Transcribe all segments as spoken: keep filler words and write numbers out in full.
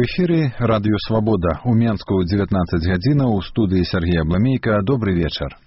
эфире радио «Свобода». У Менску девятнадцать гадзінаў, у студии Сергей Абламейко. Добрый вечер.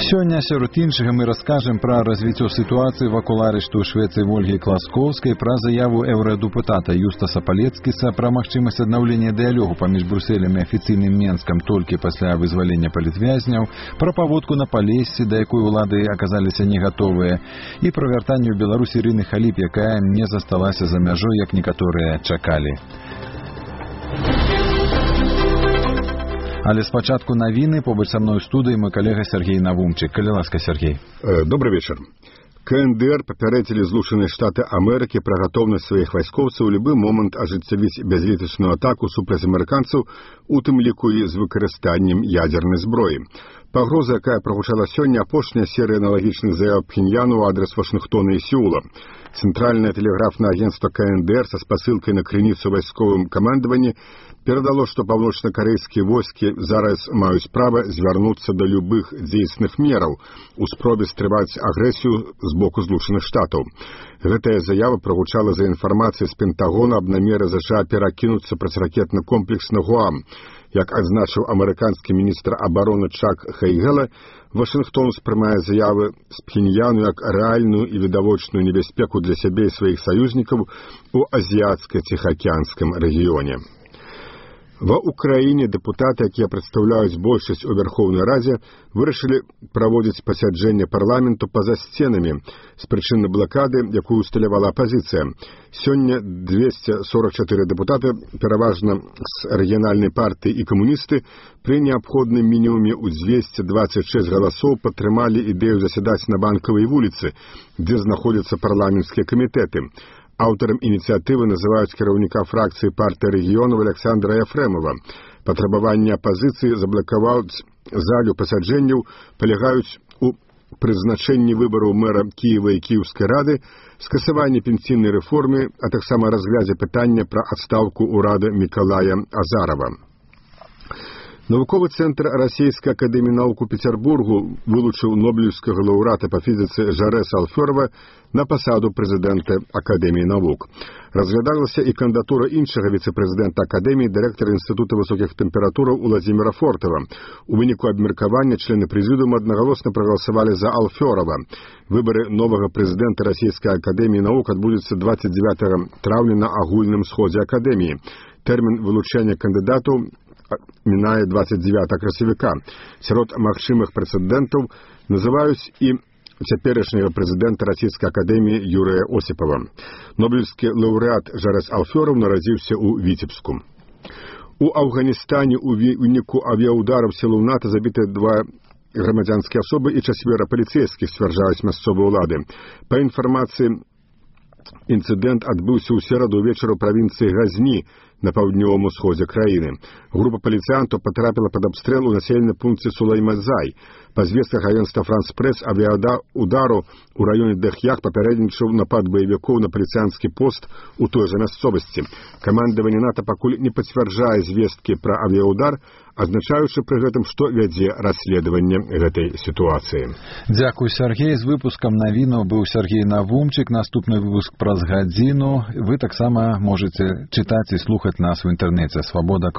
Сёння сярод іншага мы раскажем пра развіццё сітуацыі вакол арышту ў Швецыі Вольгі Класкоўскай, пра заяву еўрадэпутата Юстаса Палецкіса пра магчымасць аднаўлення дыялогу паміж Брусэлем і афіцыйным Менскам толькі пасля вызвалення палітвязняў, пра паводку на Палессі, да якой улады аказаліся не гатовыя, і пра вяртанне ў Беларусь Ірыны Халіп, якая не засталася за мяжой, як некаторыя чакалі. Але спачатку навіны, побач са мной у студыі мой калега Сергей Навумчык. Калі ласка, Сергей. Добрый вечер. КНДР папярэдзілі Злучаныя Штаты Амерыкі пра гатоўнасць сваіх вайскоўцаў у любы момант ажыццявіць бязлітасную атаку супраць амерыканцаў, у тым ліку і з выкарыстаннем ядзернай зброі. Пагроза, якая прагучала сёння, апошняя серыя аналагічных заяў Пхеньяну ў адрас Вашынгтона і Сеула. Цэнтральнае тэлеграфнае агенцтва КНДР са спасылкай на крыніцу вайсковым камандаванні перадало, што паўночна-карэйскія войскі зараз маюць права звярнуцца да любых дзейсных мераў у спробе стрываць агрэсію з боку Злучаных Штатаў. Гэтая заява прагучала за інфармацыяй з Пентагона аб намеры ЗША перакінуцца праціракетны комплекс на Гуам. Як адзначыў амерыканскі міністр абароны Чак Хейгела, Вашынгтон успрымае заявы з Пхеньяну як рэальную і відавочную небяспеку для сябе і сваіх саюзнікаў у азіяцка-ціхаакіянскім рэгіёне. Ва Ўкраіне дэпутаты, якія прадстаўляюць большасць у Верхоўнай Радзе, вырашылі праводзіць пасяджэнне парламенту па-за сценамі з прычыны блакады, якую усталявала апазіцыя. Сёння двесце сорок чатыры дэпутаты, пераважна з рэгіянальнай партыі і камуністы, пры неабходным мінімуме ў дзвесце дваццаць шэсць галасоў падтрымалі ідэю засядаць на Банкавай вуліцы, дзе знаходзяцца парламенцкія камітэты. Аўтарам ініцыятывы называюць кіраўніка фракцыі партыі рэгіёнаў Александра Ефремова. Патрабаванні апазіцыі заблакаваць залю пасяджэнняў палягаюць у прызначэнні выбараў мэра Кіева і Кіеўскай рады, скасаванні пенсійнай рэформы, а таксама разглядзе пытання пра адстаўку ўрада Мікалая Азарова. Навуковы цэнтр Расійскай акадэміі навук у Пецярбургу вылучыў нобелеўскага лаўрэата па фізіцы Жарэса Алфёрова на пасаду прэзідэнта Акадэміі навук. Разглядалася і кандыдатура іншага віцэ-прэзідэнта Акадэміі, дырэктара Інстытута высокіх тэмператураў Уладзіміра Фортава. У выніку абмеркавання члены прэзідыума аднагалосна прагаласавалі за Алфёрова. Выбары новага прэзідэнта Расійскай акадэміі навук адбудуцца дваццаць дзевятага траўня на агульным сходзе акадэміі. Тэрмін вылучэння кандыдатаў мінае дваццаць дзевятага красавіка. Сярод магчымых прэцэдэнтаў называюць і цяперашняга прэзідэнта Расійскай акадэміі Юрыя Осіпава. Нобелеўскі лаўрэат Жарэс Алфёров нарадзіўся ў Віцебску. У Афганістане у выніку авіяудараў сілаў НАТО забіты два грамадзянскія асобы і чацвера паліцэйскіх, сцвярджаюць мясцовыя ўлады. Па інфармацыі, інцыдэнт адбыўся ў сераду ўвечары ў правінцыі Газні на паўднёвым усходзе краіны. Група паліцыянтаў патрапіла пад абстрэл у населеным пункце Сулаймазай. Па звестках агенцтва Франс-Прэс, авіяудару ў раёне Дэх'як папярэднічаў напад баевікоў на паліцыянскі пост у той жа мясцовасці. Камандаванне НАТО пакуль не пацвярджае звесткі пра авіяудар, адзначаючы пры гэтым, што вядзе расследаванне гэтай сітуацыі. Дзякуй, Сергей. З выпускам навінаў быў Сергей Навумчык. Наступны выпуск праз гадзіну. Вы таксама можаце чытаць і слухаць нас у інтэрнэце. Свабода.